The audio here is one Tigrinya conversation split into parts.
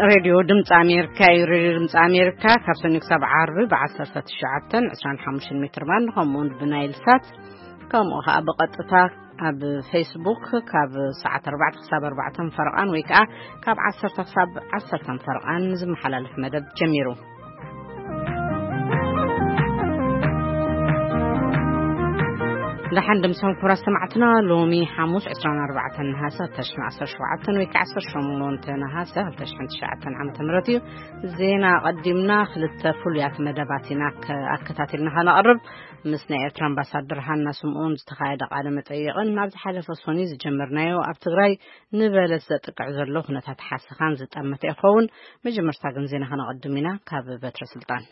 ሬድዮ ድምፂ ኣሜሪካ እዩ። ሬድዮ ድምፂ ኣሜሪካ ካብ ሰኞ ክሳብ ዓርቢ ብ19፣ 25 ሜትር ባንድ፣ ከምኡውን ብናይል ሳት፣ ከምኡ ከዓ ብቐጥታ ኣብ ፌስቡክ ካብ ሰዓት ኣርባዕተ ክሳብ ኣርባዕተ ፈረቓን ወይ ከዓ ካብ ዓሰርተ ክሳብ ዓሰርተ ፈረቓን ዝመሓላለፍ መደብ ጀሚሩ። ደሓን ድምሶም ክቡራት ሰማዕትና፣ ሎሚ ሓሙስ ዕስራን ኣርባዕተን ነሃሰ ክልተ ሽሕን ዓሰርተ ሸውዓተን ወይ ከዓ ዓሰርተ ሸሞንተ ነሃሰ ክልተ ሽሕን ትሽዓተን ዓመተ ምህረት እዩ። ዜና ኣቐዲምና ክልተ ፍሉያት መደባት ኢና ከ-፣ ኣከታቲልና ከነቕርብ። ምስ ናይ ኤርትራ ኣምባሳደር ሃና ስምኦን ዝተኻየደ ቃለ መጠይቕን ናብ ዝሓለፈ ሶኒ ዝጀመርናዮ ኣብ ትግራይ ንበለስ ዘጥቅዕ ዘሎ ኩነታት ሓሰኻን ዝጠመተ ይኸውን። መጀመርታ ግን ዜና ከነቐድም ኢና ካብ በትረ ስልጣን።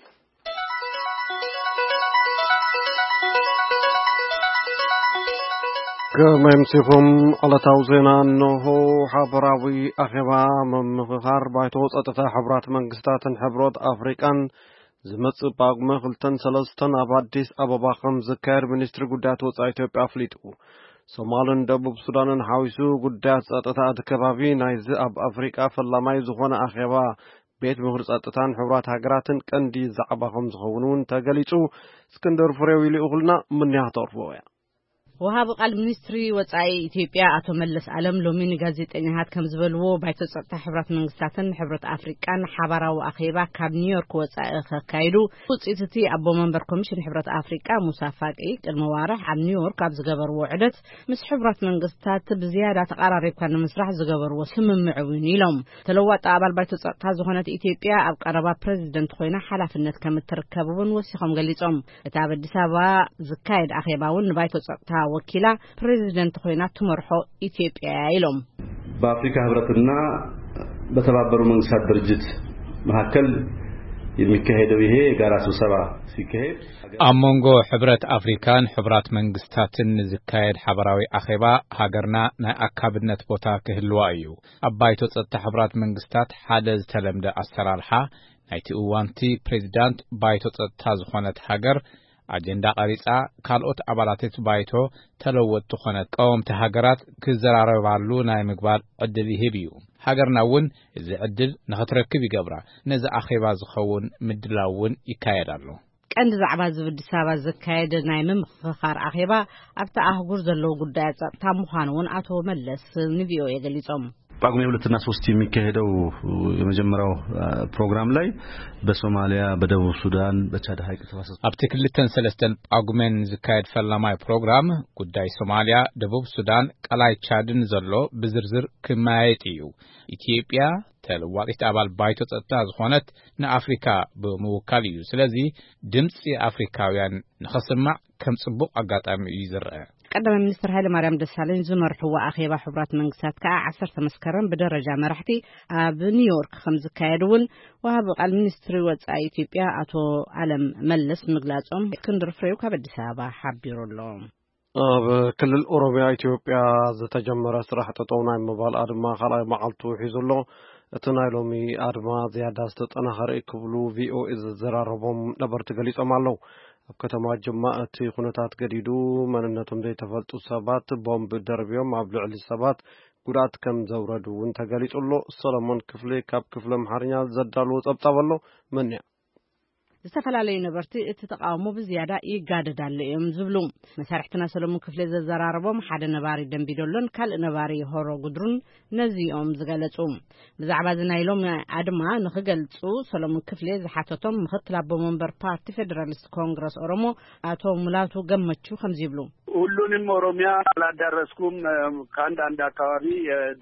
ከመይ ኣምሲኹም? ዕለታዊ ዜና እንሆ። ሓበራዊ ኣኼባ ምምኽኻር ባይቶ ጸጥታ ሕቡራት መንግስታትን ሕብረት ኣፍሪቃን ዝመጽእ ጳጉመ ክልተን ሰለስተን ኣብ ኣዲስ ኣበባ ከም ዝካየድ ሚኒስትሪ ጉዳያት ወጻኢ ኢትዮጵያ ኣፍሊጡ። ሶማልን ደቡብ ሱዳንን ሓዊሱ ጉዳያት ጸጥታ እቲ ከባቢ ናይዚ ኣብ ኣፍሪቃ ፈላማይ ዝኾነ ኣኼባ ቤት ምኽሪ ጸጥታን ሕቡራት ሃገራትን ቀንዲ ዛዕባ ከም ዝኸውን እውን ተገሊጹ። እስክንድር ፍሬው ይልእኹልና፣ ምንያ ክተቕርቦ እያ። ወሃቢ ቃል ሚኒስትሪ ወጻኢ ኢትዮጵያ ኣቶ መለስ ኣለም ሎሚ ንጋዜጠኛታት ከም ዝበልዎ፣ ባይቶ ጸጥታ ሕቡራት መንግስታትን ሕብረት ኣፍሪቃን ሓባራዊ ኣኼባ ካብ ኒውዮርክ ወጻኢ ከካይዱ፣ ውጽኢት እቲ ኣቦ መንበር ኮሚሽን ሕብረት ኣፍሪቃ ሙሳ ፋቂ ቅድሚ ዋርሕ ኣብ ኒውዮርክ ኣብ ዝገበርዎ ዑደት ምስ ሕቡራት መንግስታት ብዝያዳ ተቐራሪብካ ንምስራሕ ዝገበርዎ ስምምዕ እውን ኢሎም። ተለዋጣ ኣባል ባይቶ ጸጥታ ዝኾነት ኢትዮጵያ ኣብ ቀረባ ፕሬዚደንት ኮይና ሓላፍነት ከም እትርከብ እውን ወሲኾም ገሊጾም። እቲ ኣብ ኣዲስ ኣበባ ዝካየድ ኣኼባ እውን ንባይቶ ጸጥታ ወኪላ ፕሬዚደንት ኮይና ትመርሖ ኢትዮጵያ እያ ኢሎም። በአፍሪካ ህብረትና በተባበሩ መንግስታት ድርጅት መካከል የሚካሄደው ይሄ የጋራ ስብሰባ ሲካሄድ ኣብ መንጎ ሕብረት ኣፍሪካን ሕቡራት መንግስታትን ዝካየድ ሓበራዊ ኣኼባ ሃገርና ናይ ኣካብነት ቦታ ክህልዋ እዩ። ኣብ ባይቶ ጸጥታ ሕቡራት መንግስታት ሓደ ዝተለምደ ኣሰራርሓ ናይቲ እዋንቲ ፕሬዚዳንት ባይቶ ጸጥታ ዝኾነት ሃገር ኣጀንዳ ቀሪጻ፣ ካልኦት ኣባላት እቲ ባይቶ ተለወጥቲ ኮነ ቀወምቲ ሃገራት ክዘራረባሉ ናይ ምግባር ዕድል ይህብ እዩ። ሃገርና እውን እዚ ዕድል ንኽትረክብ ይገብራ። ነዚ ኣኼባ ዝኸውን ምድላው እውን ይካየድ ኣሎ። ቀንዲ ዛዕባ ዝብል ኣዲስ ኣበባ ዝካየድ ናይ ምምኽኻር ኣኼባ ኣብታ ኣህጉር ዘለዉ ጉዳያት ጸጥታ ምዃኑ እውን ኣቶ መለስ ንቪኦኤ ገሊጾም። ጳጉሜ ሁለትና ሶስት የሚካሄደው የመጀመሪያው ፕሮግራም ላይ በሶማሊያ፣ በደቡብ ሱዳን፣ በቻድ ሐይቅ ተፋሰስ ኣብቲ ክልተን ሰለስተን ጳጉሜን ዝካየድ ፈላማይ ፕሮግራም ጉዳይ ሶማሊያ፣ ደቡብ ሱዳን፣ ቀላይ ቻድን ዘሎ ብዝርዝር ክመያየጥ እዩ። ኢትዮጵያ ተለዋጢት ኣባል ባይቶ ጸጥታ ዝኾነት ንኣፍሪካ ብምውካል እዩ። ስለዚ ድምፂ ኣፍሪካውያን ንኸስማዕ ከም ጽቡቕ ኣጋጣሚ እዩ ዝረአ። ቀዳማይ ሚኒስትር ሃይለማርያም ደሳለኝ ዝመርሕዎ ኣኼባ ሕቡራት መንግስታት ከኣ ዓሰርተ መስከረም ብደረጃ መራሕቲ ኣብ ኒውዮርክ ከም ዝካየድ እውን ወሃቢ ቃል ሚኒስትሪ ወጻኢ ኢትዮጵያ ኣቶ ኣለም መለስ ምግላጾም እስክንድር ፍሬው ካብ ኣዲስ ኣበባ ሓቢሩ ኣሎ። ኣብ ክልል ኦሮሚያ ኢትዮጵያ ዝተጀመረ ስራሕ ጠጠው ናይ ምባል ኣድማ ካልኣይ መዓልቱ ሒዙ ኣሎ። እቲ ናይ ሎሚ ኣድማ ዝያዳ ዝተጠናኸረ እዩ ክብሉ ቪኦኤ ዘዘራረቦም ነበርቲ ገሊጾም ኣለዉ። ኣብ ከተማ ጅማ እቲ ኩነታት ገዲዱ መንነቶም ዘይተፈልጡ ሰባት ቦምብ ደርብዮም ኣብ ልዕሊ ሰባት ጉድኣት ከም ዘውረዱ እውን ተገሊጹ ኣሎ። ሰሎሞን ክፍሌ ካብ ክፍሊ ኣምሓርኛ ዘዳልዎ ጸብጻብ ኣሎ። መንያ ዝተፈላለዩ ነበርቲ እቲ ተቃውሞ ብዝያዳ ይጋደድ ኣሎ እዮም ዝብሉ። መሳርሕትና ሰሎሞን ክፍሌ ዘዘራረቦም ሓደ ነባሪ ደንቢዶሎን ካልእ ነባሪ ሆሮ ጉድሩን ነዚኦም ዝገለጹ። ብዛዕባ እዚ ናይ ሎሚ ኣድማ ንኽገልጹ ሰሎሞን ክፍሌ ዝሓተቶም ምኽትል ኣቦ መንበር ፓርቲ ፌደራሊስት ኮንግረስ ኦሮሞ ኣቶ ሙላቱ ገመቹ ከምዚ ይብሉ። ሁሉንም ኦሮሚያ አላዳረስኩም። ከአንዳንድ አካባቢ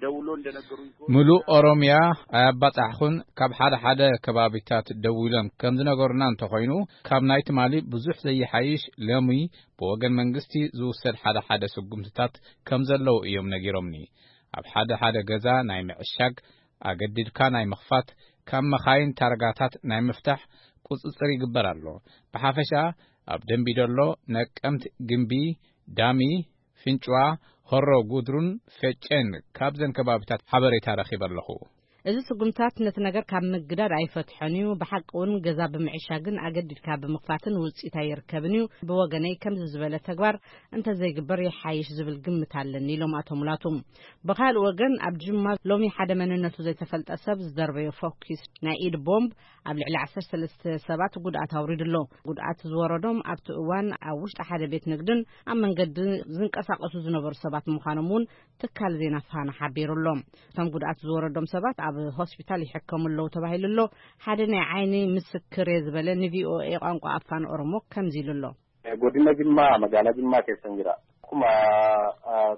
ደውሎ እንደነገሩኝ ከሆነ ምሉእ ኦሮሚያ ኣያባጻሕኹን። ካብ ሓደ ሓደ ከባቢታት ደዊሎም ከም ዝነገሩና እንተኾይኑ፣ ካብ ናይ ትማሊ ብዙሕ ዘይሓይሽ፣ ሎሚ ብወገን መንግስቲ ዝውሰድ ሓደ ሓደ ስጉምትታት ከም ዘለዉ እዮም ነጊሮምኒ። ኣብ ሓደ ሓደ ገዛ ናይ ምዕሻግ፣ ኣገዲድካ ናይ ምኽፋት፣ ካብ መኻይን ታርጋታት ናይ ምፍታሕ ቁጽጽር ይግበር ኣሎ። ብሓፈሻ ኣብ ደንቢዶሎ፣ ነቀምት፣ ግምቢ፣ ዳሚ፣ ፍንጭዋ፣ ሆሮ ጉድሩን ፈጨን ካብዘን ከባቢታት ሓበሬታ ረኺበ ኣለኹ። እዚ ስጉምታት ነቲ ነገር ካብ ምግዳድ ኣይፈትሖን እዩ። ብሓቂ እውን ገዛ ብምዕሻግን ኣገዲድካ ብምኽፋትን ውፅኢት ኣይርከብን እዩ። ብወገነይ ከምዚ ዝበለ ተግባር እንተዘይግበር ይሓይሽ ዝብል ግምት ኣለኒ ኢሎም ኣቶ ሙላቱ። ብኻልእ ወገን ኣብ ጅማ ሎሚ ሓደ መንነቱ ዘይተፈልጠ ሰብ ዝደርበዮ ፎኪስ ናይ ኢድ ቦምብ ኣብ ልዕሊ ዓሰርተ ሰለስተ ሰባት ጉድኣት ኣውሪዱ ኣሎ። ጉድኣት ዝወረዶም ኣብቲ እዋን ኣብ ውሽጢ ሓደ ቤት ንግድን ኣብ መንገዲ ዝንቀሳቐሱ ዝነበሩ ሰባት ምዃኖም እውን ትካል ዜና ፋና ሓቢሩ ኣሎ። እቶም ጉድኣት ዝወረዶም ሰባት ኣብ ሆስፒታል ይሕከሙ ኣለዉ ተባሂሉ ኣሎ። ሓደ ናይ ዓይኒ ምስክር እየ ዝበለ ንቪኦኤ ቋንቋ ኣፋን ኦሮሞ ከምዚ ኢሉ ኣሎ። Godina Jimmaa, magaalaa Jimmaa keessan jira. Akkuma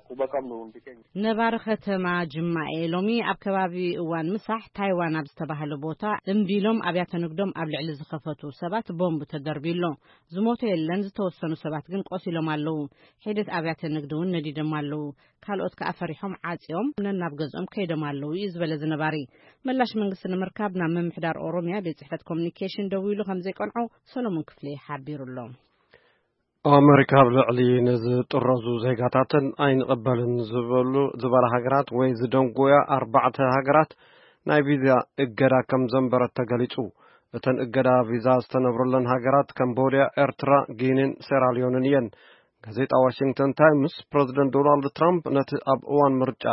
quba qabnu hundi keenya. ነባሪ ከተማ ጅማ እየ። ሎሚ ኣብ ከባቢ እዋን ምሳሕ ታይዋን ኣብ ዝተባህለ ቦታ እምቢሎም ኣብያተ ንግዶም ኣብ ልዕሊ ዝኸፈቱ ሰባት ቦምብ ተደርብዩ ኣሎ። ዝሞተ የለን፣ ዝተወሰኑ ሰባት ግን ቆሲሎም ኣለዉ። ሒደት ኣብያተ ንግዲ እውን ነዲዶም ኣለዉ። ካልኦት ከኣ ፈሪሖም ዓጽዮም ነናብ ገዝኦም ከይዶም ኣለዉ እዩ ዝበለ ዝነባሪ። ምላሽ መንግስቲ ንምርካብ ናብ ምምሕዳር ኦሮምያ ቤት ጽሕፈት ኮሚኒኬሽን ደዊሉ ከም ዘይቀንዖ ሰሎሞን ክፍሌ ሓቢሩ ኣሎ። ኣመሪካ ኣብ ልዕሊ ንዝጥረዙ ዜጋታተን ኣይንቕበልን ዝበሉ ዝበላ ሃገራት ወይ ዝደንጎያ ኣርባዕተ ሃገራት ናይ ቪዛ እገዳ ከም ዘንበረት ተገሊጹ። እተን እገዳ ቪዛ ዝተነብረለን ሃገራት ካምቦድያ፣ ኤርትራ፣ ጊኒን ሴራሊዮንን እየን። ጋዜጣ ዋሽንግተን ታይምስ ፕረዚደንት ዶናልድ ትራምፕ ነቲ ኣብ እዋን ምርጫ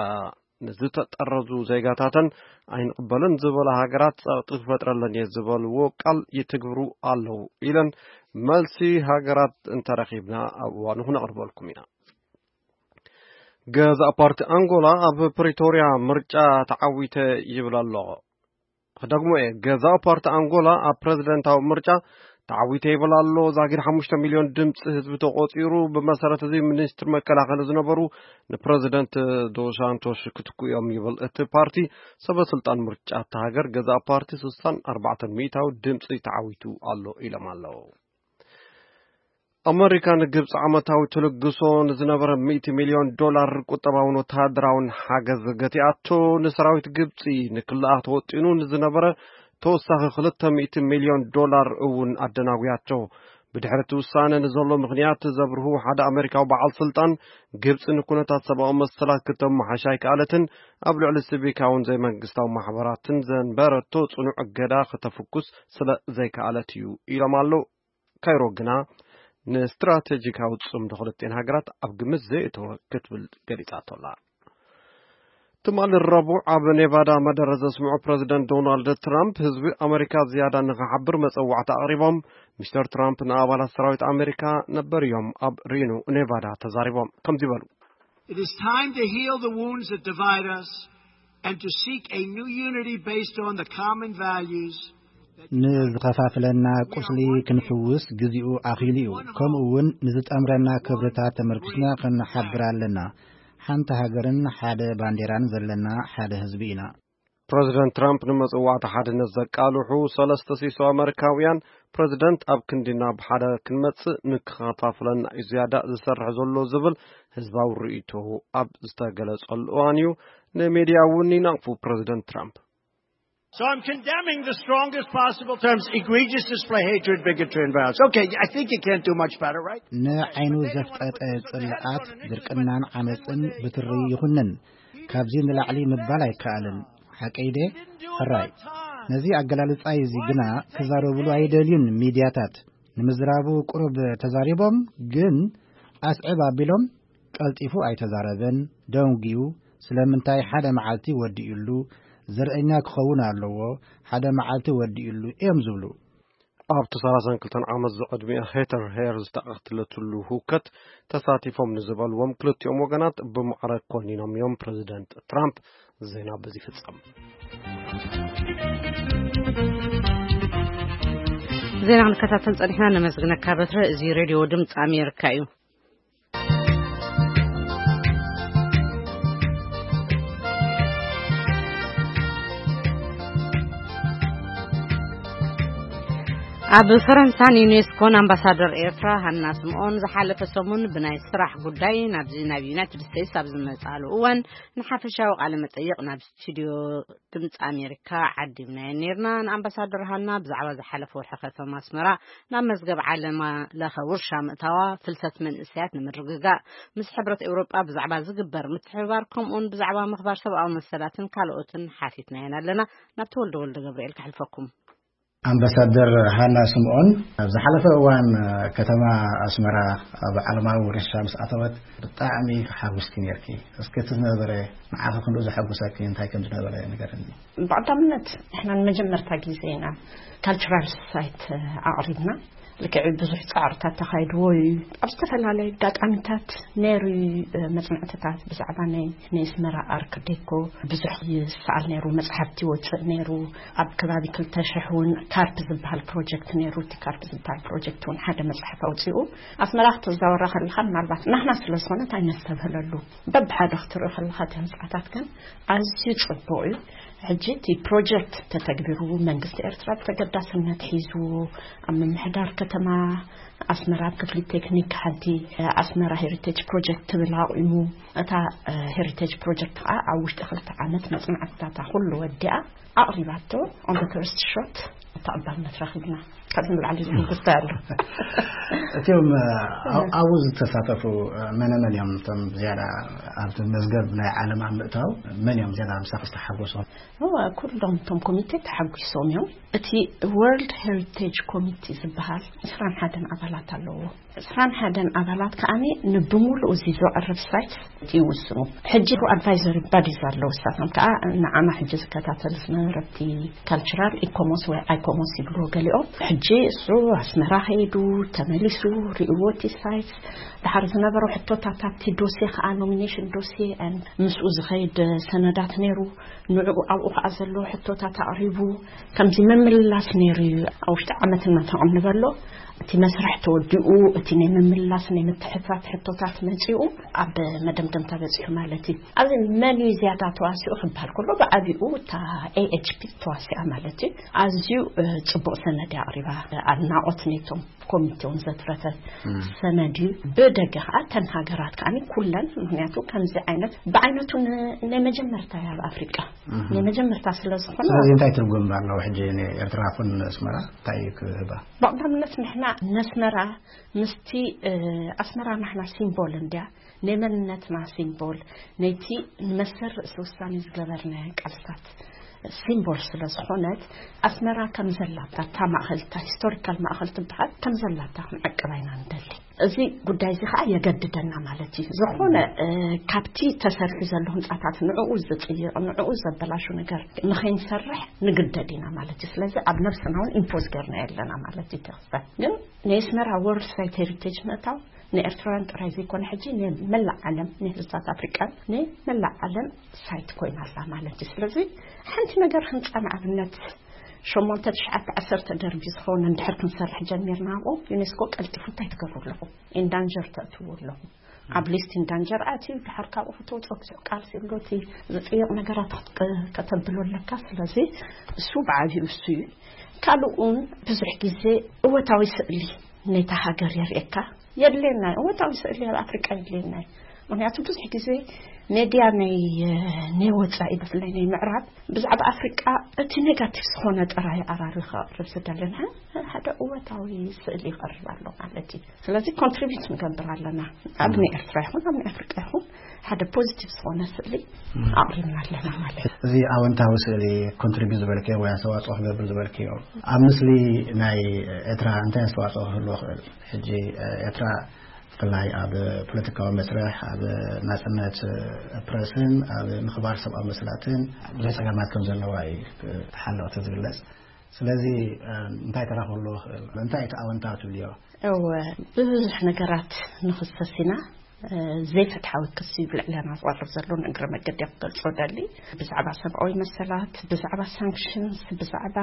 ንዝተጠረዙ ዜጋታተን ኣይንቕበልን ዝበላ ሃገራት ጸቕጢ ክፈጥረለን እየ ዝበልዎ ቃል ይትግብሩ ኣለዉ ኢለን። መልሲ ሃገራት እንተረኺብና ኣብ እዋኑ ክነቕርበልኩም ኢና። ገዛእ ፓርቲ ኣንጎላ ኣብ ፕሪቶርያ ምርጫ ተዓዊተ ይብል ኣሎ። ክደግሞ እየ፣ ገዛእ ፓርቲ ኣንጎላ ኣብ ፕረዚደንታዊ ምርጫ ተዓዊተ ይብል ኣሎ። ዛጊድ ሓሙሽተ ሚልዮን ድምፂ ህዝቢ ተቆፂሩ። ብመሰረት እዚ ሚኒስትር መከላኸሊ ዝነበሩ ንፕረዚደንት ዶስ ሳንቶስ ክትኩ እዮም ይብል እቲ ፓርቲ። ሰበ ስልጣን ምርጫ እታ ሃገር ገዛእ ፓርቲ ስሳን ኣርባዕተን ሚእታዊ ድምፂ ተዓዊቱ ኣሎ ኢሎም ኣለዉ። ኣመሪካ ንግብፂ ዓመታዊ ትልግሶ ንዝነበረ ሚእቲ ሚልዮን ዶላር ቁጠባውን ወተሃደራውን ሓገዝ ገቲኣቶ። ንሰራዊት ግብፂ ንክልኣ ተወጢኑ ንዝነበረ ተወሳኺ ክልተ ሚእቲ ሚልዮን ዶላር እውን ኣደናጉያቶ። ብድሕሪ እቲ ውሳነ ንዘሎ ምኽንያት ዘብርሁ ሓደ ኣመሪካዊ በዓል ስልጣን፣ ግብፂ ንኩነታት ሰብኣዊ መሰላት ክተመሓሽ ኣይከኣለትን፣ ኣብ ልዕሊ ሲቪካውን ዘይመንግስታዊ ማሕበራትን ዘንበረቶ ጽኑዕ እገዳ ከተፍኩስ ስለ ዘይከኣለት እዩ ኢሎም ኣለዉ። ካይሮ ግና ንስትራቴጂካዊ ጽምዶ ክልቲኤን ሃገራት ኣብ ግምት ዘየእተወ ክትብል ገሊጻቶ ኣላ። ትማሊ ረቡዕ ኣብ ኔቫዳ መደረ ዘስምዑ ፕረዚደንት ዶናልድ ትራምፕ፣ ህዝቢ ኣመሪካ ዝያዳ ንኽሓብር መጸዋዕታ ኣቕሪቦም። ሚስተር ትራምፕ ንኣባላት ሰራዊት ኣመሪካ ነበር እዮም ኣብ ሪኖ ኔቫዳ ተዛሪቦም ከምዚ በሉ። It is time to heal the wounds that divide us and to seek a new unity based on the common values that ንዝኸፋፍለና ቁስሊ ክንፍውስ ግዜኡ ኣኺሉ እዩ። ከምኡ እውን ንዝጠምረና ክብርታት ተመርኪስና ክንሓብር ኣለና። ሓንቲ ሃገርን ሓደ ባንዴራን ዘለና ሓደ ህዝቢ ኢና። ፕረዚደንት ትራምፕ ንመጽዋዕቲ ሓድነት ዘቃልሑ ሰለስተ ሲሶ ኣመሪካውያን፣ ፕረዚደንት ኣብ ክንዲ ናብ ሓደ ክንመጽእ ንክኸፋፍለና እዩ ዝያዳ ዝሰርሕ ዘሎ ዝብል ህዝባዊ ርእይቶ ኣብ ዝተገለጸሉ እዋን እዩ ንሜድያ እውን ይነቕፉ ፕረዚደንት ትራምፕ። So I'm condemning the strongest possible terms, egregious display, hatred, bigotry, and violence. Okay, I think you can't do much better, right? ንዓይኑ ዘፍጠጠ ጽልኣት፣ ድርቅናን ዓመጽን ብትሪ ይኹንን። ካብዚ ንላዕሊ ምባል ኣይከኣልን። ሓቀይ ደ? ሕራይ። ነዚ ኣገላልጻይ እዚ ግና ክዛረብሉ ኣይደልዩን ሚድያታት። ንምዝራቡ ቁሩብ ተዛሪቦም፣ ግን ኣስዕብ ኣቢሎም ቀልጢፉ ኣይተዛረበን፣ ደንጉዩ። ስለምንታይ ሓደ መዓልቲ ወዲኡሉ፣ ዘርእኛ ክኸውን ኣለዎ፣ ሓደ መዓልቲ ወዲኡሉ እዮም ዝብሉ። ኣብቲ ሰላሳን ክልተን ዓመት ዝዕድሚኣ ሄተር ሄር ዝተቐትለትሉ ህውከት ተሳቲፎም ንዝበልዎም ክልቲኦም ወገናት ብማዕረ ኮኒኖም እዮም ፕረዚደንት ትራምፕ። ዜና በዚ ይፍጸም። ዜና ክንከታተል ጸኒሕና፣ ነመስግነካ በትረ። እዚ ሬድዮ ድምፂ ኣሜሪካ እዩ። ኣብ ፈረንሳን ዩኔስኮን ኣምባሳደር ኤርትራ ሃና ስምኦን ዝሓለፈ ሰሙን ብናይ ስራሕ ጉዳይ ናብዚ ናብ ዩናይትድ ስቴትስ ኣብ ዝመጻሉ እዋን ንሓፈሻዊ ቃለ መጠይቕ ናብ ስቱዲዮ ድምፂ ኣሜሪካ ዓዲምናዮ ነርና። ንኣምባሳደር ሃና ብዛዕባ ዝሓለፈ ወርሒ ከተማ ኣስመራ ናብ መዝገብ ዓለም ለኸ ውርሻ ምእታዋ፣ ፍልሰት መንእሰያት ንምርግጋእ ምስ ሕብረት ኤውሮጳ ብዛዕባ ዝግበር ምትሕብባር፣ ከምኡውን ብዛዕባ ምኽባር ሰብኣዊ መሰላትን ካልኦትን ሓቲትናየን ኣለና። ናብ ተወልደ ወልደ ገብርኤል ከሕልፈኩም። ኣምባሳደር ሃና ስምኦን፣ ኣብ ዝሓለፈ እዋን ከተማ ኣስመራ ኣብ ዓለማዊ ውርሻ ምስ ኣተወት ብጣዕሚ ሓጉስኪ ነርኪ። እስኪ እቲ ዝነበረ ንዓኺ ክንድኡ ዘሐጉሰኪ እንታይ ከም ዝነበረ ንገርኒ። ብቐዳምነት ንሕና ንመጀመርታ ግዜ ኢና ካልቸራል ሳይት ኣቕሪብና። ልክዕ ብዙሕ ጻዕርታት ተኻይድዎ እዩ። ኣብ ዝተፈላለዩ ኣጋጣሚታት ነይሩ እዩ፣ መጽናዕትታት ብዛዕባ ናይ ናይ ኣስመራ ኣርክ ዴኮ ብዙሕ ይሰኣል ነይሩ፣ መጽሓፍቲ ይወጽእ ነይሩ። ኣብ ከባቢ ክልተ ሽሕ እውን ካርፕ ዝበሃል ፕሮጀክት ነይሩ። እቲ ካርፕ ዝበሃል ፕሮጀክት እውን ሓደ መጽሓፍ ኣውጺኡ። ኣስመራ ክትዛወራ ከለኻ ምናልባት ናህና ስለ ዝኾነት ኣይነስተብህለሉ። በብሓደ ክትርኢ ከለኻ እቲ ህንጻታት ግን ኣዝዩ ጽቡቕ እዩ። ሕጂ እቲ ፕሮጀክት ተተግቢሩ መንግስቲ ኤርትራ ብተገዳስነት ሒዝዎ ኣብ ምምሕዳር ከተማ ኣስመራ ኣብ ክፍሊ ቴክኒክ ሓንቲ ኣስመራ ሄሪቴጅ ፕሮጀክት ትብል ኣቑሙ። እታ ሄሪቴጅ ፕሮጀክት ከዓ ኣብ ውሽጢ ክልተ ዓመት መጽናዕትታታ ኩሉ ወዲኣ ኣቕሪባቶ። ኦን ዘ ፈርስት ሾት ተቐባልነት ረኺብና። ካብዚ ንላዕሊ ዝምጉስታ ኣሎ። እቲኦም ኣብኡ ዝተሳተፉ መነ መን እዮም? እቶም ዝያዳ ኣብቲ መዝገብ ናይ ዓለም ኣብ ምእታው መን እዮም ዝያዳ ምሳኺ ዝተሓጎሶም? እወ፣ ኩሎም እቶም ኮሚቴ ተሓጒሶም እዮም። እቲ ወርልድ ሄሪቴጅ ኮሚቴ ዝበሃል ዕስራን ሓደን ኣባላት ኣለዎ። ዕስራን ሓደን ኣባላት ከኣኒ ንብሙሉኡ እዚ ዘቕርብ ሳይት ይውስኑ። ሕጂ ኣድቫይዘሪ ባዲስ ኣለዉ። እሳቶም ከኣ ንዓና ሕጂ ዝከታተል ዝነበረ እቲ ካልቸራል ኢኮሞስ ወይ ኣይኮሞስ ይብልዎ ገሊኦም። ሕጂ እሱ ኣስመራ ከይዱ ተመሊሱ ርእይዎ እቲ ሳይት። ድሓር ዝነበሩ ሕቶታት ኣብቲ ዶሴ ከኣ ኖሚኔሽን ዶሴ and ምስኡ ዝኸይድ ሰነዳት ነይሩ። ንዕኡ ኣብኡ ከኣ ዘለዎ ሕቶታት ኣቕሪቡ ከምዚ ምምልላስ ነይሩ እዩ። ኣብ ውሽጢ ዓመት እናተቐንበሎ እቲ መስርሕ ተወዲኡ፣ እቲ ናይ ምምልላስ ናይ ምትሕታት ሕቶታት መጺኡ ኣብ መደምደምታ በጺሑ ማለት እዩ። ኣብዚ መን እዩ ዝያዳ ተዋሲኡ ክበሃል ከሎ ብዓቢኡ እታ ኤ ኤች ፒ ተዋሲኣ ማለት እዩ። ኣዝዩ፣ እ፣ ጽቡቕ ሰነድ እያ ኣቕሪባ። ኣድናቖት ነይቶም ኮሚቴ እውን ዘትረፈ እም። ሰነድ እዩ። ብደገ ከኣ እተን ሃገራት ከኣ ኩለን፣ ምኽንያቱ ከምዚ ዓይነት ብዓይነቱ ን-፣ ናይ መጀመርታ እያ ኣብ ኣፍሪቃ። እም። ናይ መጀመርታ ስለ ዝኾነ ስለዚ እንታይ ትርጉም ኣለዎ ሕጂ ንኤርትራ ኩን ኣስመራ እንታይ እዩ ክህባ? ብቐዳምነት ንሕና ነስመራ ምስቲ፣ እ፣ ኣስመራ ናሕና ሲምቦል እንድያ፣ ናይ መንነትና ሲምቦል፣ ነቲ ንመሰል ርእሲ ውሳኔ ዝገበርናዮ ቃልስታት ሲምቦል ስለ ዝኾነት፣ ኣስመራ ከም ዘላታ፣ እታ ማእኸል፣ እታ ሂስቶሪካል ማእኸል ትበሃል፣ ከም ዘላታ ክንዕቅባ ኢና ንደሊ። እዚ ጉዳይ እዚ ኸዓ የገድደና ማለት እዩ። ዝኾነ፣ እ፣ ካብቲ ተሰሪሑ ዘሎ ህንጻታት ንዕኡ ዝጽይቕ፣ ንዕኡ ዘበላሹ ነገር ንኸይንሰርሕ ንግደድ ኢና ማለት እዩ። ስለዚ ኣብ ነብስና እውን ኢምፖዝ ገርና የለና ማለት እዩ። ተኽስተ ግን ናይ ኣስመራ ወርልድ ሳይት ሄሪቴጅ ምእታው ንኤርትራውያን ጥራይ ዘይኮነ፣ ሕጂ ንመላእ ዓለም፣ ንህዝብታት ኣፍሪቃን ንመላእ ዓለም ሳይት ኮይና ኣላ ማለት እዩ። ስለዚ ሓንቲ ነገር ህንጻ ንኣብነት ሸሞንተ፣ ትሽዓተ፣ ዓሰርተ ደርቢ ዝኸውን እንድሕር ክንሰርሕ ጀሚርና፣ ኣብኡ ዩኔስኮ ቀልጢፉ እንታይ ትገብሩ ኣለኹም? ኢንዳንጀር ተእትዉ ኣለኹም። ኣብ ሊስት ኢንዳንጀር ኣትዩ፣ ድሓር ካብኡ ከተውፅኦ ብዙሕ ቃልሲ ኣሎ። እቲ ዝፅይቕ ነገራት ክትቅ-፣ ከተብሎ ኣለካ። ስለዚ እሱ ብዓብዩ እሱ እዩ። ካልኡን ብዙሕ ግዜ እወታዊ ስእሊ ነታ ሃገር የርእየካ። የድልየና እዩ። እወታዊ ስእሊ ኣብ ኣፍሪቃ የድልየና እዩ። ምኽንያቱ ብዙሕ ግዜ ሜድያ ናይ፣ ናይ ወጻኢ፣ ብፍላይ ናይ ምዕራብ፣ ብዛዕባ ኣፍሪቃ እቲ ኔጋቲቭ ዝኾነ ጥራይ ኣራሪ ከቕርብ ዝደልን። ሓደ እወታዊ ስእሊ ይቐርብ ኣሎ ማለት እዩ። ስለዚ ኮንትሪቢዩት ንገብር ኣለና። ኣብ ናይ ኤርትራ ይኹን ኣብ ናይ ኣፍሪቃ ይኹን ሓደ ፖዚቲቭ ዝኾነ ስእሊ ኣቕሪብና ኣለና ማለት እዩ። እዚ ኣወንታዊ ስእሊ ኮንትሪቢዩት ዝበልክዮ ወይ ኣስተዋፅኦ ክገብር ዝበልክዮ፣ ኣብ ምስሊ ናይ ኤርትራ እንታይ ኣስተዋፅኦ ክህልዎ ክእል? ሕጂ ኤርትራ ብፍላይ ኣብ ፖለቲካዊ መስርሕ፣ ኣብ ናጽነት ፕረስን ኣብ ምኽባር ሰብኣዊ መሰላትን ብዙሕ ጸገማት ከም ዘለዋ እዩ ተሓለቕቲ ዝግለጽ። ስለዚ እንታይ ተራ ክህልዎ ክእል? እንታይ እቲ ኣወንታዊ ትብልዮ? እወ፣ ብብዙሕ ነገራት ንኽሰስ ኢና። ዘይፍትሓዊ ክሲ እዩ ብልዕለና ዝቐርብ ዘሎ። ንእግረ መገዲ ክገልጾ ደሊ፣ ብዛዕባ ሰብኣዊ መሰላት፣ ብዛዕባ ሳንክሽንስ፣ ብዛዕባ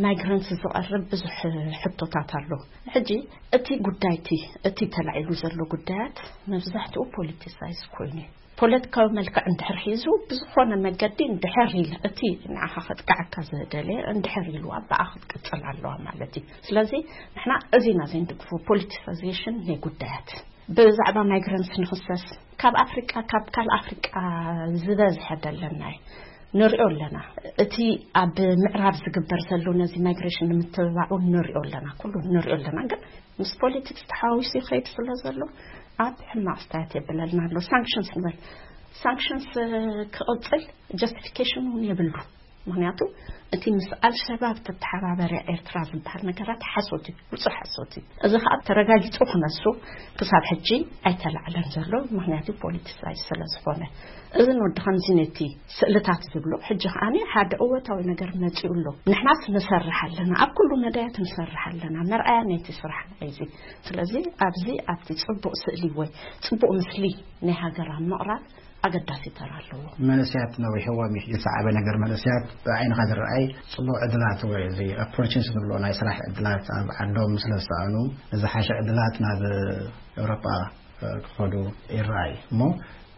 ማይግራንትስ ዝቐርብ ብዙሕ ሕቶታት ኣሎ። ሕጂ እቲ ጉዳይ እቲ፣ እቲ ተላዒሉ ዘሎ ጉዳያት መብዛሕትኡ ፖለቲሳይዝ ኮይኑ እዩ። ፖለቲካዊ መልክዕ እንድሕር ሒዙ፣ ብዝኾነ መገዲ እንድሕር ኢል፣ እቲ ንዓኻ ከጥቅዓካ ዝደለየ እንድሕር ኢልዋ፣ ብኣ ክትቅጽል ኣለዋ ማለት እዩ። ስለዚ ንሕና እዚ ኢና ዘይንድግፎ፣ ፖለቲሳይዜሽን ናይ ጉዳያት። ብዛዕባ ማይግራንትስ ንኽሰስ፣ ካብ ኣፍሪቃ፣ ካብ ካልእ ኣፍሪቃ ዝበዝሐ ደለና እዩ። ንሪኦ ኣለና። እቲ ኣብ ምዕራብ ዝግበር ዘሎ ነዚ ማይግሬሽን ንምትብባዑ ንሪኦ ኣለና፣ ኩሉ ንሪኦ ኣለና። ግን ምስ ፖለቲክስ ተሓዋዊሱ ይኸይድ ስለ ዘሎ ኣብ ሕማቕ ኣስተያየት የብለልና ኣሎ። ሳንክሽንስ ንበል፣ ሳንክሽንስ ክቕጽል ጀስቲፊኬሽን እውን የብሉ። ምክንያቱ እቲ ምስ ኣልሸባብ ተተሓባበረ ኤርትራ ዝበሃል ነገራት ሓሶት እዩ፣ ውጹእ ሓሶት እዩ። እዚ ከዓ ተረጋጊጹ ክነሱ ክሳብ ሕጂ ኣይተላዕለን ዘሎ፣ ምክንያቱ ፖለቲሳይዝ ስለ ዝኾነ። እዚ ንወዲ ከምዚ ነቲ ስእልታት ዝብሎ፣ ሕጂ ከዓኒ ሓደ እወታዊ ነገር መጺኡ ኣሎ። ንሕናስ ንሰርሕ ኣለና፣ ኣብ ኩሉ መዳያት ንሰርሕ ኣለና፣ መርኣያ ናይቲ ስራሕ እዚ። ስለዚ ኣብዚ ኣብቲ ጽቡቕ ስእሊ ወይ ጽቡቕ ምስሊ ናይ ሃገር ኣብ ምቕራብ ኣገዳሲ ተራ ኣለዎ። መንእሰያት ነዊሕዎም እዩ። ዝሰዓበ ነገር መንእሰያት ብዓይንኻ ዝረኣይ ጽቡቕ ዕድላት ወይ እዚ ኦፖርቹኒቲ ንብሎ ናይ ስራሕ ዕድላት ኣብ ዓዶም ስለ ዝሰኣኑ፣ ንዝሓሸ ዕድላት ናብ ኤውሮጳ ክኸዱ ይረኣይ። እሞ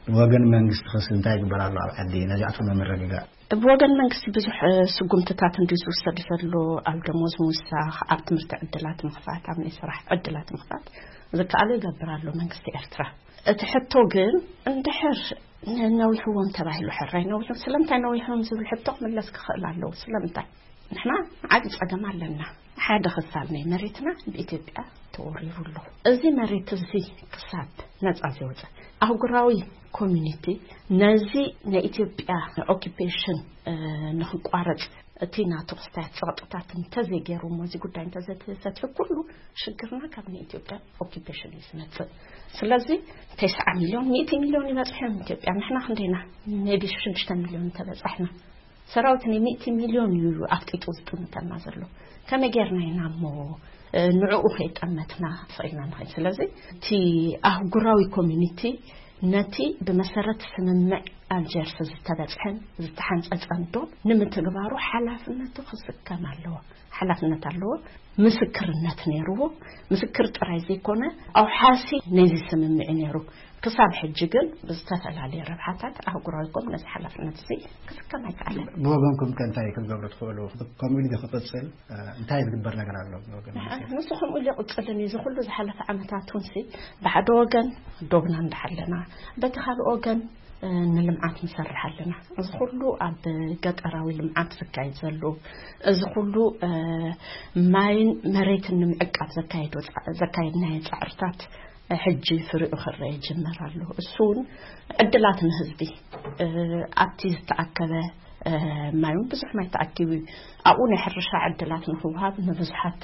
ብወገን መንግስቲ ክስ እንታይ ይግበር ኣሎ ኣብ ዓዲ ነዚኣቶም ንምርግጋእ? ብወገን መንግስቲ ብዙሕ ስጉምትታት እንዲ ዝውሰድ ዘሎ፣ ኣብ ደሞዝ ምውሳኽ፣ ኣብ ትምህርቲ ዕድላት ምኽፋት፣ ኣብ ናይ ስራሕ ዕድላት ምኽፋት ዝከኣሎ ይገብር ኣሎ መንግስቲ ኤርትራ። እቲ ሕቶ ግን እንድሕር ነዊሕዎም ተባሂሉ፣ ሕራይ ነዊሕዎም፣ ስለምንታይ ነዊሕዎም ዝብል ሕቶ ክምለስ ክኽእል ኣለዎ። ስለምንታይ? ንሕና ዓቢ ጸገም ኣለና። ሓደ ክፋል ናይ መሬትና ብኢትዮጵያ ተወሪሩ ኣሎ። እዚ መሬት እዚ ክሳብ ነጻ ዘይወጸ፣ ኣህጉራዊ ኮሚኒቲ ነዚ ናይ ኢትዮጵያ ኦኪፔሽን ንክቋረጽ፣ እቲ ናቱ ክስታያት ጸቕጥታት እንተዘይገይሩ፣ እሞ እዚ ጉዳይ እንተዘይተፈትሑ፣ ኩሉ ሽግርና ካብ ናይ ኢትዮጵያ ኦኪፔሽን እዩ ዝመጽእ። ስለዚ ተስዓ ሚልዮን፣ ሚእቲ ሚልዮን ይበጽሑ እዮም ኢትዮጵያ። ንሕና ክንደይና? ሜቢ ሽዱሽተ ሚልዮን እንተበጻሕና። ሰራዊት ናይ ሚእቲ ሚልዮን እዩ ኣፍጢጡ ዝጥምተና ዘሎ። ከመይ ጌርና ኢና እሞ ንዕኡ ከይጠመትና ፈኢልና ንኸይድ? ስለዚ እቲ ኣህጉራዊ ኮሚኒቲ ነቲ ብመሰረት ስምምዕ ኣልጀርስ ዝተበጽሐን ዝተሓንጸጸን ዶብ ንምትግባሩ ሓላፍነቱ ክስከም ኣለዎ። ሓላፍነት ኣለዎ። ምስክርነት ነይርዎ። ምስክር ጥራይ ዘይኮነ፣ ኣውሓሲ ነዚ ስምምዕ ነይሩ። ክሳብ ሕጂ ግን ብዝተፈላለየ ረብሓታት ኣህጉራዊ ኮም ነዚ ሓላፍነት እዚ ክስከም ኣይከኣለን። ብወገንኩም ከ እንታይ ክትገብሩ ትኽእሉ? ከምኡ ኢሉ ክቕጽል እንታይ ዝግበር ነገር ኣሎ? ብወገን መንግስቲ? ንሱ ከምኡ ኢሉ ይቕጽልን እዩ። እዚ ኩሉ ዝሓለፈ ዓመታት እውን ሲ፣ ብሓደ ወገን ዶብና እንዳሓለና፣ በቲ ካልእ ወገን ንልምዓት ንሰርሕ ኣለና። እዚ ኩሉ ኣብ ገጠራዊ ልምዓት ዝካየድ ዘሎ፣ እዚ ኩሉ ማይን መሬትን ንምዕቃብ ዘካየዶ ፃ-፣ ዘካየድናዮ ፃዕርታት ሕጂ ፍሪኡ ክረአ ይጅመር ኣሎ። እሱ እውን ዕድላት ንህዝቢ፣ ኣብቲ ዝተኣከበ ማይ እውን ብዙሕ ማይ ተኣኪቡ እዩ። ኣብኡ ናይ ሕርሻ ዕድላት ንክውሃብ ንብዙሓት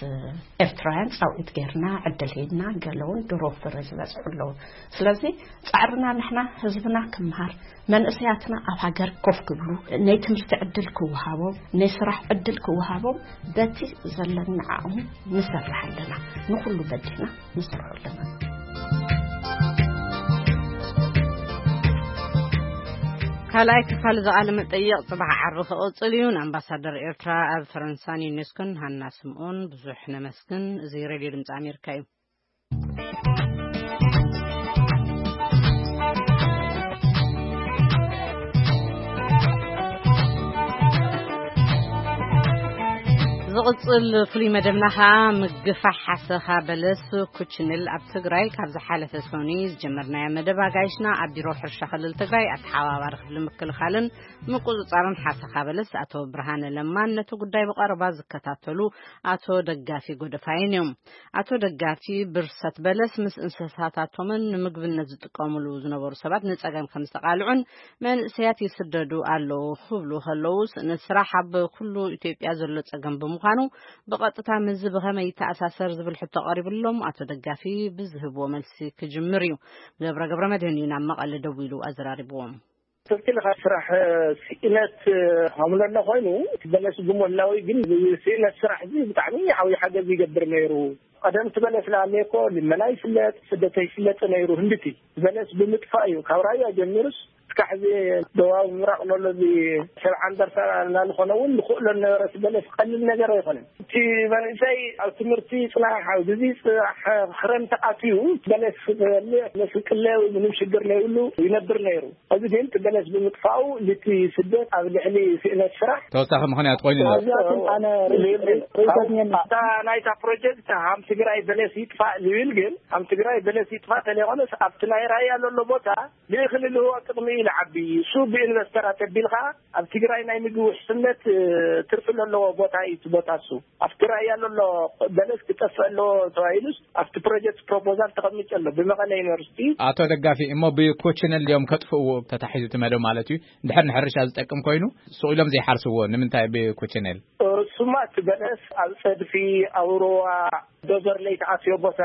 ኤርትራውያን ፃውዒት ጌርና፣ ዕድል ሂብና፣ ገለ እውን ድሮ ፍረ ዝበፅሑ ኣለዉ። ስለዚ ጻዕርና ንሕና ህዝብና ክምሃር፣ መንእሰያትና ኣብ ሃገር ኮፍ ክብሉ፣ ናይ ትምህርቲ ዕድል ክወሃቦም፣ ናይ ስራሕ ዕድል ክወሃቦም በቲ ዘለና ዓቕሚ ንሰርሕ ኣለና። ንኹሉ በዲህና ንሰርሖ ኣለና። ካልኣይ ክፋል እዚ ቃለ መጠይቕ ጽባሕ ዓርቢ ክቕጽል እዩ። ንኣምባሳደር ኤርትራ ኣብ ፈረንሳን ዩኔስኮን ሃና ስምኦን ብዙሕ ነመስግን። እዚ ሬድዮ ድምጺ ኣሜሪካ እዩ። ዝቕጽል ፍሉይ መደብና ኸኣ ምግፋሕ ሓሰኻ በለስ ኩችንል ኣብ ትግራይ። ካብ ዝሓለፈ ሰኑይ ዝጀመርናዮ መደብ ኣጋይሽና ኣብ ቢሮ ሕርሻ ክልል ትግራይ ኣተሓባባሪ ክፍሊ ምክልኻልን ምቁጽጻርን ሓሰኻ በለስ ኣቶ ብርሃነ ለማን ነቲ ጉዳይ ብቐረባ ዝከታተሉ ኣቶ ደጋፊ ጎደፋይን እዮም። ኣቶ ደጋፊ ብርሰት በለስ ምስ እንስሳታቶምን ንምግብነት ዝጥቀሙሉ ዝነበሩ ሰባት ንጸገም ከም ዝተቓልዑን መንእሰያት ይስደዱ ኣለዉ ክብሉ ከለዉ፣ ስእነት ስራሕ ኣብ ኩሉ ኢትዮጵያ ዘሎ ጸገም ብምዃኑ ብቐጥታ ምስዚ ብኸመይ ይተኣሳሰር ዝብል ሕቶ ቀሪብሎም ኣቶ ደጋፊ ብዝህብዎ መልሲ ክጅምር እዩ። ገብረ ገብረ መድህን እዩ ናብ መቐለ ደዊሉ ኣዘራሪብዎም። ትክክል ኢኻ። ስራሕ ስእነት ሃምለሎ ኮይኑ፣ እቲ በለስ ብሞላዊ ግን ስእነት ስራሕ እዚ ብጣዕሚ ዓብዪ ሓገዝ ይገብር ነይሩ። ቀደም እቲ በለስ ለኣለየ እኮ ልመና ይፍለጥ፣ ስደት ይፍለጥ ነይሩ። ህንድቲ በለስ ብምጥፋእ እዩ። ካብ ራያ ጀሚሩስ ክሳዕ እዚ ደቡባዊ ምብራቕ ዘሎ እዚ ሰብ ዓንደርታ እናንኾነ እውን ንኽእሎ ነበረ። እቲ በለስ ቀሊል ነገር ኣይኮነን። እቲ መንእሰይ ኣብ ትምህርቲ ይፅናሕ፣ ኣብ ግዜ ይፅናሕ፣ ክረምቲ ኣትዩ በለስ ክበልዕ፣ በለስ ክቅለ ምንም ሽግር ዘይብሉ ይነብር ነይሩ። እዚ ግን እቲ በለስ ብምጥፋኡ ልቲ ስደት ኣብ ልዕሊ ስእነት ስራሕ ተወሳኺ ምኽንያት ኮይኑ ኣሎ። ኣብዚኣቶም ኣነ ርእይቶት እኔኒ። ኣብታ ናይታ ፕሮጀክት ሃም ትግራይ በለስ ይጥፋእ ዝብል ግን ሃም ትግራይ በለስ ይጥፋእ ተለይኮነስ ኣብቲ ናይ ራያ ዘሎ ቦታ ልእኽሊ ልህቦ ጥቕሚ እዩ ልዓቢ። እሱ ብኢንቨስተራት ኣቢልካ ኣብ ትግራይ ናይ ምግቢ ውሕስነት ትርፊ ዘለዎ ቦታ እዩ እቲ ቦታ እሱ። ኣብቲ ራያ ዘሎ በለስ ክጠፍእ ኣለዎ ተባሂሉስ ኣብቲ ፕሮጀክት ፕሮፖዛል ተቐሚጡ ኣሎ ብመቐለ ዩኒቨርሲቲ። ኣቶ ደጋፊ፣ እሞ ብኮችነል ድዮም ከጥፍእዎ ተታሒዙ እቲ መደብ ማለት እዩ? እንድሕር ንሕርሻ ዝጠቅም ኮይኑ ሱቕ ኢሎም ዘይሓርስዎ ንምንታይ ብኮችነል? እሱማ እቲ በለስ ኣብ ፀድፊ፣ ኣብ ሩባ፣ ዶዘር ለይተኣትዮ ቦታ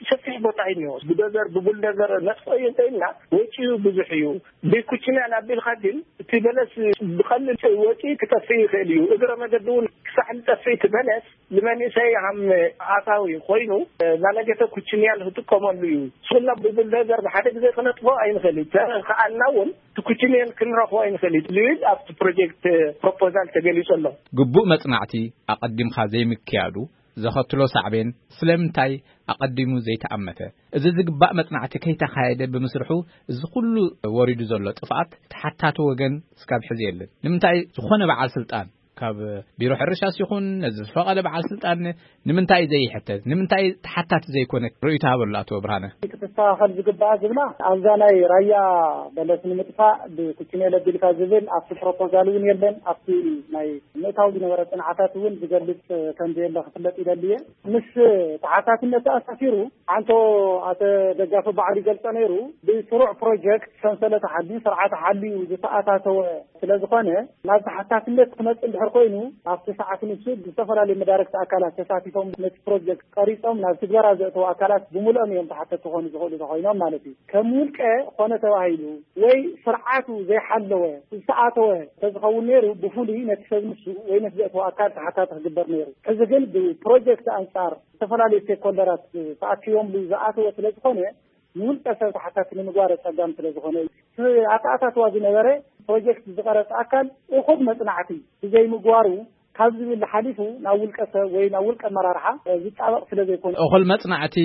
ሰፊሕ ቦታ እዩ እኒኦ። ብዶዘር ብቡልደዘር ነጥፎ እዩ እንተኢልና ወጪኡ ብዙሕ እዩ። ብኩችንያል ኣቢልካ ግን እቲ በለስ ብቐሊል ወጪ ክጠፍእ ይኽእል እዩ። እግረ መገዲ እውን ክሳዕ ዝጠፍእ እቲ በለስ ንመንእሰይ ሃም ኣታዊ ኮይኑ ናነገተ ኩችንያል ክጥቀመሉ እዩ። ስና ብቡልደዘር ብሓደ ግዜ ክነጥፎ ኣይንኽእል እዩ። ተኸኣልና እውን እቲ ኩችንያል ክንረኽቦ ኣይንኽእል እዩ ዝብል ኣብቲ ፕሮጀክት ፕሮፖዛል ተገሊጹ ኣሎ። ግቡእ መጽናዕቲ ኣቐዲምካ ዘይምክያዱ ዘኸትሎ ሳዕቤን ስለምንታይ ኣቐዲሙ ዘይተኣመተ? እዚ ዝግባእ መጽናዕቲ ከይተኻየደ ብምስርሑ እዚ ኩሉ ወሪዱ ዘሎ ጥፍኣት ተሓታቲ ወገን እስካብ ሕዚ የለን። ንምንታይ ዝኾነ በዓል ስልጣን ካብ ቢሮ ሕርሻስ ይኹን ነዚ ዝፈቐደ በዓል ስልጣን ንምንታይ ዘይሕተት? ንምንታይ ተሓታቲ ዘይኮነ? ርእይቶ ሃበሉ ኣቶ ብርሃነ። ክተስተኻኸል ዝግባኣ ዝብላ ኣብዛ ናይ ራያ በለስ ንምጥፋእ ብኩችኔ ለቢልካ ዝብል ኣብቲ ፕሮፖዛል እውን የለን። ኣብቲ ናይ ምእታው ዝነበረ ፅንዓታት እውን ዝገልፅ ከም ዘየለ ክፍለጥ ይደሊ እየ። ምስ ተሓታትነት ተኣሳሲሩ ኣንቶ ኣቶ ደጋፊ ባዕሉ ይገልጾ ነይሩ። ብስሩዕ ፕሮጀክት ሰንሰለት ሓልዩ፣ ስርዓተ ሓልዩ ዝተኣታተወ ስለ ዝኾነ ናብ ተሓታትነት ክመጽእ እንድሕር ኮይኑ ኣብቲ ሰዓት ንሱ ብዝተፈላለዩ መዳርግቲ ኣካላት ተሳቲፎም ነቲ ፕሮጀክት ቀሪጾም ናብ ትግበራ ዘእተው ኣካላት ብምልኦም እዮም ተሓተቲ ክኾኑ ዝኽእሉ ተኾይኖም ማለት እዩ። ከም ውልቀ ኮነ ተባሂሉ ወይ ስርዓቱ ዘይሓለወ ዝተኣተወ ተዝኸውን ነይሩ ብፍሉይ ነቲ ሰብ ንሱ ወይ ነቲ ዘእተወ ኣካል ተሓታቲ ክግበር ነይሩ። ሕዚ ግን ብፕሮጀክት ኣንጻር ዝተፈላለዩ ስቴክሆልደራት ተኣኪቦምሉ ዝኣተወ ስለ ዝኾነ ንውልቀ ሰብ ተሓታቲ ንምግባር ኣጸጋሚ ስለ ዝኾነ እዩ። ኣተኣታትዋ ዝነበረ ፕሮጀክት ዝቐረጸ ኣካል እኹል መጽናዕቲ ብዘይምግባሩ ካብ ዝብል ሓሊፉ ናብ ውልቀ ሰብ ወይ ናብ ውልቀ ኣመራርሓ ዝጣበቕ ስለ ዘይኮነ እኹል መጽናዕቲ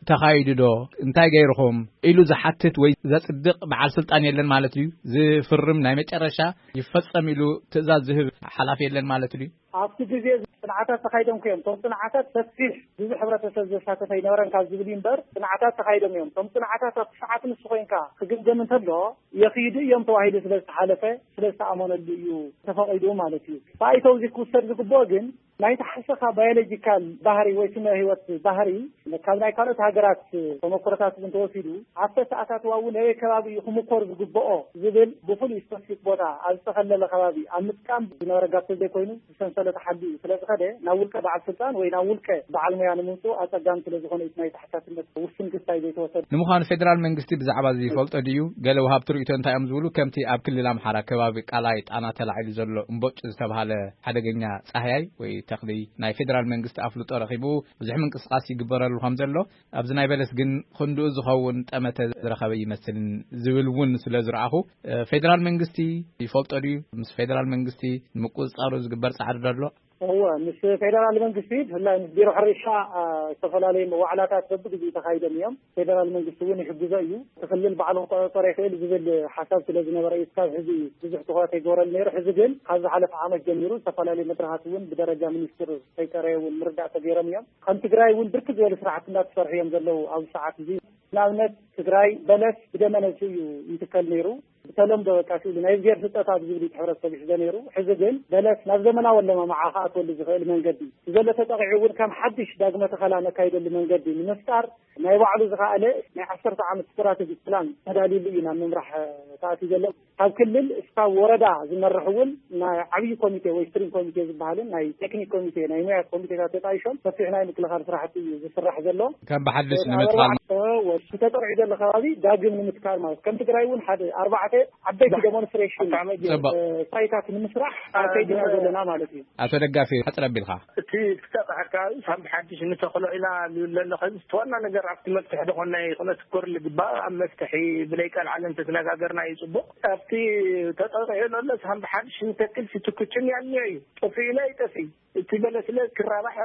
ተኻይዱ ዶ እንታይ ገይርኹም ኢሉ ዝሓትት ወይ ዘጽድቕ በዓል ስልጣን የለን ማለት እዩ። ዝፍርም ናይ መጨረሻ ይፈጸም ኢሉ ትእዛዝ ዝህብ ሓላፊ የለን ማለት እዩ። ኣብቲ ግዜ ጽንዓታት ተኻይዶም እዮም። እቶም ጽንዓታት ሰፊሕ ብዙሕ ሕብረተሰብ ዘሳተፈ ኣይነበረን ካብ ዝብል እዩ እምበር ጽንዓታት ተኻይዶም እዮም። እቶም ጽንዓታት ኣብቲ ሰዓት ንሱ ኮይንካ ክግምገም እንተሎ የኽይዱ እዮም ተባሂሉ ስለ ዝተሓለፈ ስለ ዝተኣመነሉ እዩ ተፈቒዱ ማለት እዩ። ብኣይተው እዚ ክውሰድ ዝግብኦ ግን ናይ ተሓሰኻ ባዮሎጂካል ባህሪ ወይ ስነ ህይወት ባህሪ ካብ ናይ ካልኦት ሃገራት ተመክሮታት እውን ተወሲዱ ኣብተ ሰዓታት ዋው ነበይ ከባቢ እዩ ክምኮር ዝግብኦ ዝብል ብፍሉይ ስፐሲፊክ ቦታ ኣብ ዝተኸለለ ከባቢ ኣብ ምጥቃም ዝነበረ ጋብ ዘይኮይኑ ዝሰንሰለት ሓዲ እዩ ስለ ዝኸደ ናብ ውልቀ በዓል ስልጣን ወይ ናብ ውልቀ በዓል ሙያ ንምምፅኡ ኣፀጋሚ ስለ ዝኾነ እዩ ናይ ተሓታትነት ውስን ክስታይ ዘይተወሰደ። ንምዃኑ ፌደራል መንግስቲ ብዛዕባ እዚ ይፈልጦ ድዩ? ገለ ወሃብቲ ርእይቶ እንታይ እዮም ዝብሉ? ከምቲ ኣብ ክልል ኣምሓራ ከባቢ ቃላይ ጣና ተላዒሉ ዘሎ እምቦጭ ዝተባሃለ ሓደገኛ ፃህያይ ወይ ተኽሊ ናይ ፌደራል መንግስቲ ኣፍልጦ ረኺቡ ብዙሕ ምንቅስቃስ ይግበረሉ ከም ዘሎ ኣብዚ ናይ በለስ ግን ክንድኡ ዝኸውን ጠመተ ዝረኸበ ይመስልን ዝብል እውን ስለ ዝረኣኹ፣ እ፣ ፌደራል መንግስቲ ይፈልጦ ድዩ? ምስ ፌደራል መንግስቲ ንምቁፅፃሩ ዝግበር ፃዕሪ ዶ ኣሎ? እወ፣ ምስ ፌደራል መንግስቲ ብፍላይ ምስ ቢሮ ሕርሻ፣ እ፣ ዝተፈላለዩ መዋዕላታት በብግዜኡ ተኻይዶም እዮም። ፌደራል መንግስቲ እውን ይሕግዞ እዩ። እቲ ክልል ባዕሉ ክቆፃፀሮ ይኽእል ዝብል ሓሳብ ስለ ዝነበረ እዩ እስካብ ሕዚ ብዙሕ ትኹረት ኣይገበረሉ ነይሩ። ሕዚ ግን ካብ ዝሓለፈ ዓመት ጀሚሩ ዝተፈላለዩ መድረኻት እውን ብደረጃ ሚኒስትር ከይፀረየ እውን ምርዳእ ተገይሮም እዮም። ከም ትግራይ እውን ብርክት ዝበሉ ስራሕቲ እናተሰርሑ እዮም ዘለዉ ኣብዚ ሰዓት እዚ። ንኣብነት ትግራይ በለስ ብደመ ነፍሲ እዩ ይትከል ነይሩ። ብተለምዶ በቃ ስእሊ ናይ እግዚኣብሔር ስጦታ ብዝብል እዩ ሕብረተሰብ ይሕዞ ነይሩ። ሕዚ ግን በለስ ናብ ዘመናዊ ኣለማምዓ ክኣትወሉ ዝኽእል መንገዲ ብዘሎ ተጠቒዑ እውን ከም ሓድሽ ዳግመ ተኸላ ነካይደሉ መንገዲ ንምፍጣር ናይ ባዕሉ ዝኸኣለ ናይ ዓሰርተ ዓመት ስትራቴጂ ፕላን ተዳልዩሉ እዩ ናብ ምምራሕ ተኣትዩ ዘሎ። ካብ ክልል እስካብ ወረዳ ዝመርሕ እውን ናይ ዓብዪ ኮሚቴ ወይ ስትሪንግ ኮሚቴ ዝበሃልን ናይ ቴክኒክ ኮሚቴ ናይ ሙያ ኮሚቴታት ተጣይሾም ሰፊሕ ናይ ምክልኻል ስራሕቲ እዩ ዝስራሕ ዘሎ። ከም ብሓድሽ ኣብ ንምትኻል ኣርባዕተ ወ-፣ ዝተጠቕዑ ዘሎ ከባቢ ዳግም ንምትካል ማለት ከም ትግራይ እውን ሓደ ኣርባዕተ ዓበይቲ ዴሞንስትሬሽን፣ ጽቡቕ። ፋይታት ንምስራሕ ኣካይድና ዘለና ማለት እዩ። ኣቶ ደጋፊ፣ ሕጽር ኣቢልካ። እቲ ክተቕሐካ ሳምቢ ሓድሽ ንተኽሎ ኢና ዝብል ዘሎ። ከዚ እቲ ዋና ነገር ኣብቲ መፍትሒ ደኾና ይኹነ ትኮር ልግባእ ኣብ መፍትሒ ብለይ ቃል ዓለም ተተነጋገርና እዩ ጽቡቕ። ኣብቲ ተጠቕዑ ዘሎ ሳምቢ ሓድሽ ንተክል ሲትኩችን ያልኒዮ እዩ። ጠፊኡ ኢለ ይጠፊ። እቲ በለስለ ክራባሕ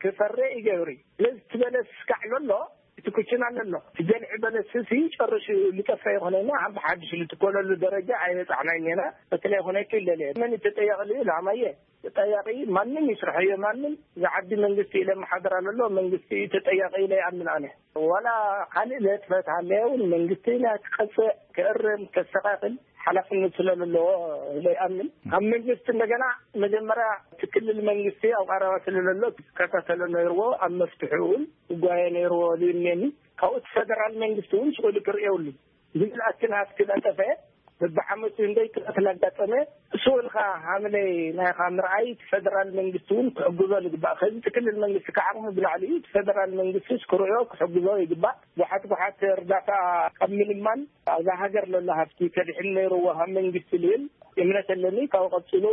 ክፈረ ይገብሪ። ስለዚ እቲ በለስ ስካዕ ዘሎ እቲ ኩችና ኣሎ። እቲ ጀልዒ በለስ ሲ ጨርሽ ልጠፈ ይኾነና ሓንቲ ሓድሽ ልትኮለሉ ደረጃ ኣይበጻሕናይ ኔና። በተለይ ኾነ ክለለ መን ተጠያቂ ልዩ ላማየ ተጠያቂ ማንም ይስርሐዮ ማንም ዝዓዲ መንግስቲ ኢለ መሓደር ኣሎ። መንግስቲ ተጠያቂ ኢለ ይኣምን ኣነ። ዋላ ካልእ ለጥፈት ሃለየ እውን መንግስቲ ናይ ክቀጽዕ ክእርም ከስተኻኽል ሓላፍነት ስለለዎ ኢለ ይኣምን። ኣብ መንግስቲ እንደገና መጀመርያ እቲ ክልል መንግስቲ ኣብ ቀረባ ስለለሎ ክከታተሎ ነይርዎ፣ ኣብ መፍትሒ እውን ክጓየ ነይርዎ ልዩኔኒ። ካብኡ እቲ ፈደራል መንግስቲ እውን ስእሉ ክርእየውሉ ዝብል ኣክል ሃፍቲ ለጠፈ። በብዓመቱ እንደይ ጥቃት ላጋጠመ እሱ እውን ከዓ ሃምለይ ናይኻ ምርኣይ እቲ ፈደራል መንግስቲ እውን ክሕግዞ ልግባእ። ከዚ እቲ ክልል መንግስቲ ከዓቕሙ ብላዕሊ እዩ። እቲ ፈደራል መንግስቲ ክርእዮ ክሕግዞ ይግባእ። ብዙሓት ብዙሓት እርዳታ ካብ ምልማን ኣብዛ ሃገር ለሎ ሃፍቲ ከድሕን ነይርዎ ካብ መንግስቲ ልብል እምነት ኣለኒ። ካብኡ ቀፂሉ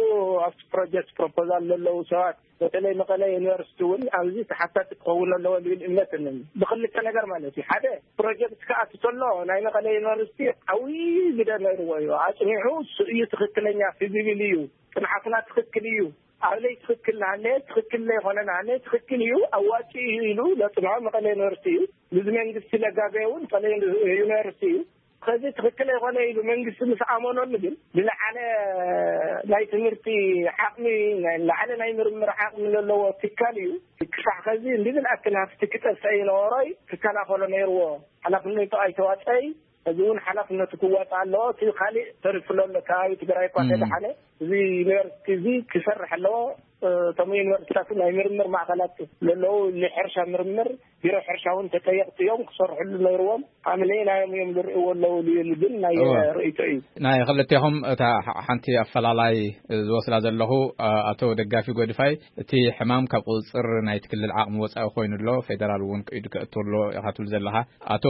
ኣብቲ ፕሮጀክት ፕሮፖዛል ለለዉ ሰባት በተለይ መቐለ ዩኒቨርሲቲ እውን ኣብዚ ተሓታቲ ክኸውን ኣለዎ ልብል እምነት ኣለኒ። ብክልተ ነገር ማለት እዩ። ሓደ ፕሮጀክት ክኣቱ ከሎ ናይ መቐለ ዩኒቨርሲቲ ዓብዪ ግደ ነይርዎ እዩ። ኣፅኒዑ እሱ እዩ ትኽክለኛ ፊዚብል እዩ፣ ፅንዓትና ትኽክል እዩ፣ ኣብለይ ትኽክል ናሃለ ትኽክል ለይኮነ ናሃለ ትኽክል እዩ ኣዋፂ እዩ ኢሉ ለፅንዖ መቐለ ዩኒቨርሲቲ እዩ። ብዚ መንግስቲ ለጋገየ እውን መቐለ ዩኒቨርሲቲ እዩ። ከዚ ትኽክል ኣይኮነ ኢሉ መንግስቲ ምስ ኣመነሉ ግን ዝለዓለ ናይ ትምህርቲ ዓቕሚ፣ ዝለዓለ ናይ ምርምር ዓቕሚ ዘለዎ ትካል እዩ። ክሳዕ ከዚ እንዲብል ኣክል ሃፍቲ ክጠፍአ ይነበሮይ ክከላኸሎ ነይርዎ። ሓላፍነቱ ኣይተዋፀይ። እዚ እውን ሓላፍነቱ ክዋፃእ ኣለዎ። እቲ ካሊእ ተሪፉ ዘሎ ከባቢ ትግራይ እኳ ተደሓነ እዚ ዩኒቨርሲቲ እዚ ክሰርሕ ኣለዎ። እቶም ዩኒቨርሲቲታት ናይ ምርምር ማእኸላት ዘለዉ ንሕርሻ ምርምር ቢሮ ሕርሻ እውን ተጠየቕቲ እዮም ክሰርሕሉ ነይርዎም። ኣምለይ ናዮም እዮም ዝርእይዎ ኣለዉ ዝብል ግን ናይ እወ። ርእይቶ እዩ። ናይ ክልቴኹም እታ ሓ- ሓንቲ ኣፈላላይ ዝወስዳ ዘለኹ ኣ- ኣቶ ደጋፊ ጎድፋይ እቲ ሕማም ካብ ቁፅፅር ናይቲ ክልል ዓቕሚ ወፃኢ ኮይኑ ኣሎ፣ ፌደራል እውን ቅይዱ ከእቱ ኣሎ ኢኻ ትብል ዘለኻ። ኣቶ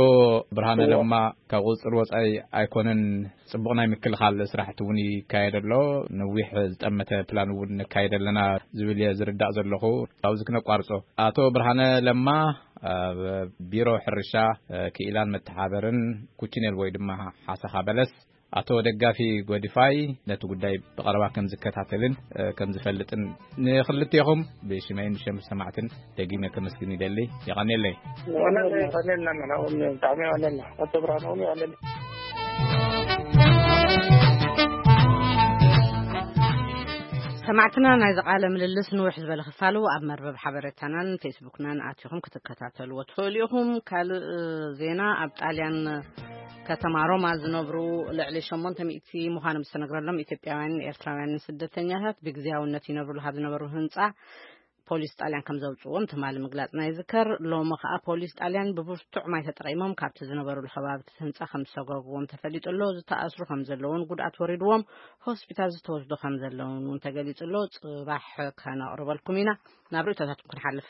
ብርሃነ እወ። ለማ ካብ ቁፅፅር ወፃኢ ኣይኮነን፣ ጽቡቕ ናይ ምክልኻል ስራሕቲ እውን ይካየድ ኣሎ፣ ነዊሕ ዝጠመተ ፕላን እውን ነካየድ ኣለና ዝብል እየ ዝርዳእ ዘለኹ። ኣብዚ ክነቋርጾ፣ ኣቶ ብርሃነ ለማ ኣብ ቢሮ ሕርሻ፣ ክኢላን መተሓበርን ኩችኔል ወይ ድማ ሓሰኻ በለስ፣ ኣቶ ደጋፊ ጎዲፋይ ነቲ ጉዳይ ብቐረባ ከም ዝከታተልን ከም ዝፈልጥን ንክልቴኹም ብሽመይን ብሸም ሰማዕትን ደጊመ ከመስግን ይደሊ። የቐኔለይ። ወለለ፣ የቐኔልና፣ ንሕና እውን ብጣዕሚ የቐኔልና። ኣቶ ብርሃነ እውን የቐኔልና። ሰማዕትና፣ ናይዚ ቃለ ምልልስ ንውሕ ዝበለ ክፋሉ ኣብ መርበብ ሓበሬታናን ፌስቡክናን ኣቲኹም ክትከታተልዎ ትኽእሉ ኢኹም። ካልእ ዜና፣ ኣብ ጣልያን ከተማ ሮማ ዝነብሩ ልዕሊ ሸሞንተ ሚእቲ ምዃኖም ዝተነግረሎም ኢትዮጵያውያንን ኤርትራውያንን ስደተኛታት ብግዝያውነት ይነብሩሉ ካብ ዝነበሩ ህንጻ ፖሊስ ጣልያን ከም ዘውጽእዎም ትማሊ ምግላጽና ይዝከር። ሎሚ ከኣ ፖሊስ ጣልያን ብብርቱዕ ማይ ተጠቒሞም ካብቲ ዝነበሩሉ ከባቢ ህንጻ ከም ዝሰጓጉዎም ተፈሊጡ ኣሎ። ዝተኣስሩ ከም ዘለውን ጉድኣት ወሪድዎም ሆስፒታል ዝተወስዱ ከም ዘለውን እውን ተገሊጹ ኣሎ። ጽባሕ ከነቕርበልኩም ኢና። ናብ ርእይቶታትኩም ክንሓልፍ።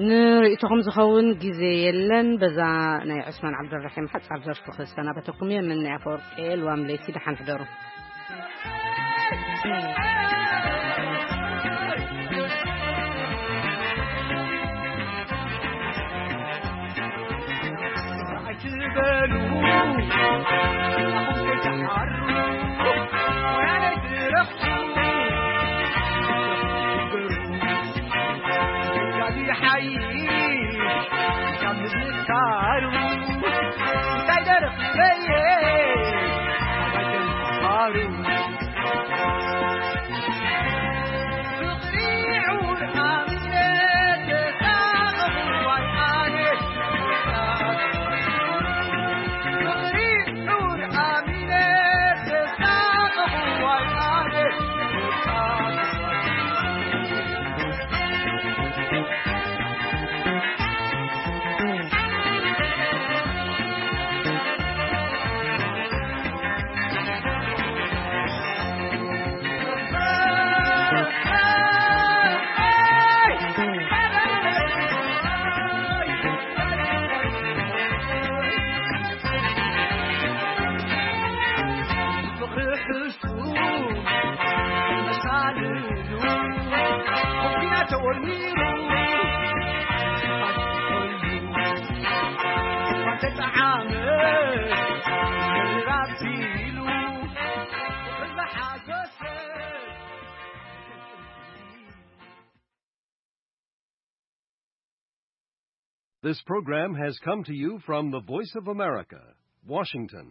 ንርእይቶኹም ዝኸውን ግዜ የለን። በዛ ናይ ዑስማን ዓብደልራሒም ሓጻር ዘርፊ ክሰናበተኩም እየ። ምን ናይ ኣፈወርቂ ልዋም ለይቲ፣ ደሓን ሕደሩ። ኣይትበሉ፣ ኣኹም ከይትሓሩ፣ ወያነ ድረፉ፣ ጋዲ ሓይሽ ካብ ምዝካሩ፣ እንታይ ደረፍ በየ፣ ኣባይ ተምሃሩ። ርሑሱ መሳልሉ ኩያ ተወርሚሩ ተጠዓመ ራሲሉ ዝሓጎሰ This program has come to you from the Voice of America, Washington.